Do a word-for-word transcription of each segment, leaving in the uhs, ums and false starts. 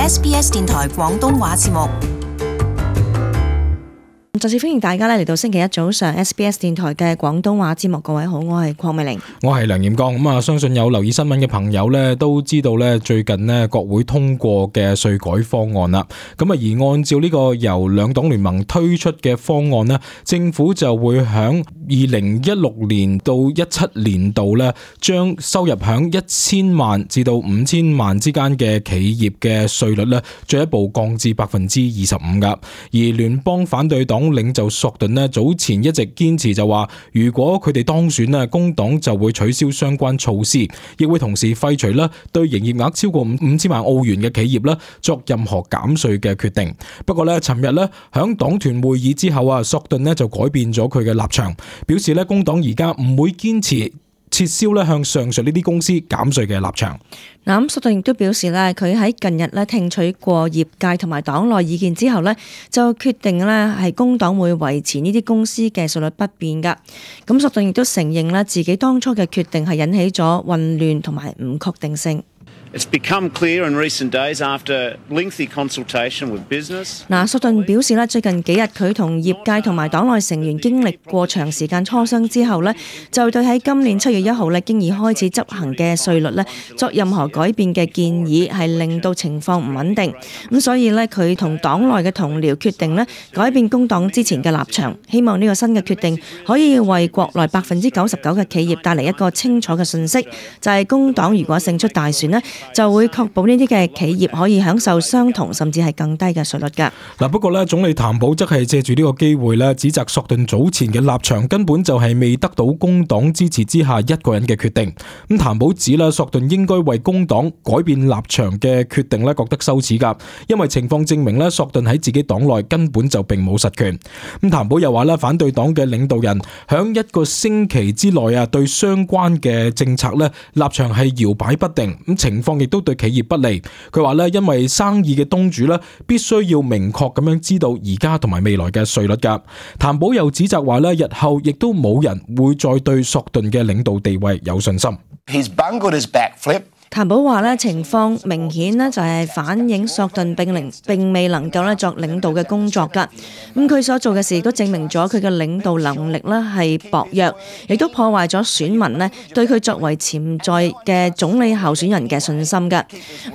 S B S 電台廣東話節目。再次歡迎大家咧嚟到星期一早上 S B S 電台嘅廣東話節目。各位好，我係鄺美玲，我係梁彥剛。咁啊，相信有留意新聞嘅朋友咧，都知道咧最近咧國會通過嘅稅改方案啦。咁啊，而按照呢個由兩黨聯盟推出嘅方案咧，政府就會響二零一六年到一七年度咧，將收入響一千萬至到五千萬之間嘅企業嘅稅率咧，進一步降至百分之二十五噶。而聯邦反對黨領袖索頓呢，早前一直堅持就話，如果佢哋當選呢，工黨就會取消相關措施，亦會同時廢除啦對營業額超過五千萬澳元嘅企業啦作任何減稅嘅決定。不過呢，尋日呢響黨團會議之後啊，索頓呢就改變咗佢嘅立場，表示呢工黨而家唔會堅持撤銷咧向上述呢啲公司減稅嘅立場。嗱，咁索頓亦都表示咧，佢喺近日咧聽取過業界同埋黨內意見之後咧，就決定咧係工黨會維持呢啲公司嘅稅率不變噶。咁索頓亦都承認咧自己當初嘅決定係引起咗混亂同埋唔確定性。It's become clear in recent days after lengthy consultation with business. 嗱，索頓表示咧，最近幾日佢同業界同埋黨內成員經歷過長時間磋商之後咧，就對喺今年七月一號咧經已開始執行嘅稅率咧作任何改變嘅建議，係令到情況唔穩定。咁所以咧，佢同黨內嘅同僚決定咧改變工黨之前嘅立場，希望呢個新嘅決定可以為國內百分之九十九嘅企業帶嚟一個清楚嘅訊息，就係工黨如果勝出大選咧，就會確保呢啲嘅企業可以享受相同甚至係更低嘅稅率㗎。嗱，不過咧，總理譚普則係借住呢個機會咧，指責索頓早前嘅立場根本就係未得到工黨支持之下一個人嘅決定。咁譚普指啦，索頓應該為工黨改變立場嘅決定咧覺得羞恥㗎，因為情況證明咧，索頓喺自己黨內根本就並冇實權。咁譚普又話咧，反對黨嘅領導人響一個星期之內啊，對相關嘅政策咧立場係搖擺不定。咁情況亦都對企業不利。佢話咧，因為生意嘅東主咧，必須要明確咁樣知道而家同埋未來嘅稅率噶。譚普又指責話咧，日後亦都冇人會再對索頓嘅領導地位有信心。He's bungled his backflip. 譚普話咧，情況明顯咧就係反映索頓並零並未能夠咧作領導嘅工作㗎。咁佢所做嘅事亦都證明咗佢嘅領導能力咧係薄弱，亦都破壞咗選民咧對佢作為潛在嘅總理候選人嘅信心㗎。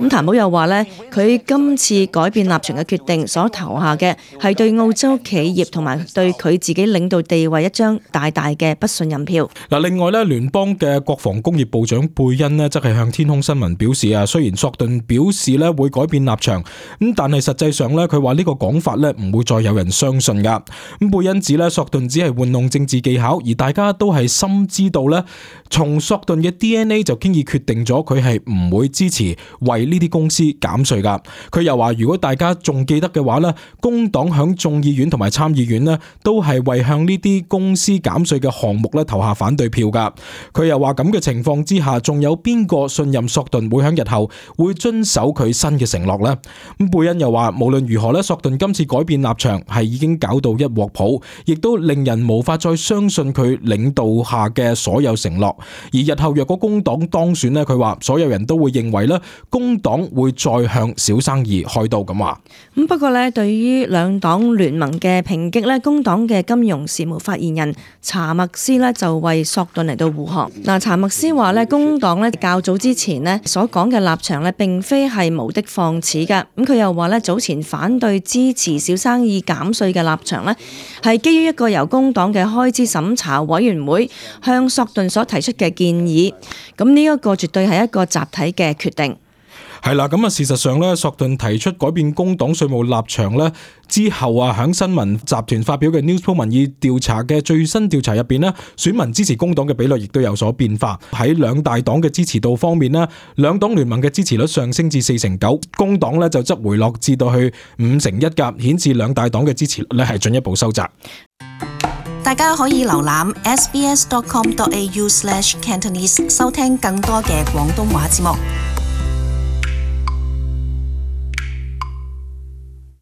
咁譚普又話咧，佢今次改變立場嘅決定所投下嘅係對澳洲企業同埋對佢自己領導地位一張大大嘅不信任票。嗱，另外咧，聯邦嘅國防工業部長貝恩呢，則係向天空新聞表示啊，雖然索頓表示咧會改變立場，咁但係實際上咧，佢話呢個講法咧唔會再有人相信噶。咁貝恩指咧，索頓只係玩弄政治技巧，而大家都係深知道咧，從索頓嘅 D N A 就經已決定咗佢係唔會支持為呢啲公司減稅噶。佢又話，如果大家仲記得嘅話咧，工黨響眾議院同埋參議院咧都係為向呢啲公司減稅嘅項目咧投下反對票噶。佢又話，咁嘅情況之下，仲有邊個信任索頓會喺日後會遵守佢新嘅承諾呢？咁貝恩又話，無論如何咧，索頓今次改變立場係已經搞到一鑊泡，亦都令人無法再相信佢領導下嘅所有承諾。而日後若果工黨當選呢，佢話所有人都會認為咧，工黨會再向小生意開刀咁話。咁不過咧，對於兩黨聯盟嘅抨擊咧，工黨嘅金融事務發言人查默斯咧就為索頓嚟到護航。嗱，查默斯話咧，工黨咧較早之前咧所講嘅立場咧，並非係無的放矢㗎。咁佢又話咧，早前反對支持小生意減稅嘅立場咧，係基於一個由工黨嘅開支審查委員會向索頓所提出嘅建議。咁呢一個絕對係一個集體嘅決定。係啦，咁啊，事實上咧，索頓提出改變工黨稅務立場咧之後啊，響新聞集團發表嘅 Newspoll 民意調查嘅最新調查入邊咧，選民支持工黨嘅比率亦都有所變化。喺兩大黨嘅支持度方面咧，兩黨聯盟嘅支持率上升至四成九，工黨咧就則回落至到去五成一㗎，顯示兩大黨嘅支持率咧係進一步收窄。大家可以瀏覽 s b s dot com dot a u slash cantonese 收聽更多嘅廣東話節目。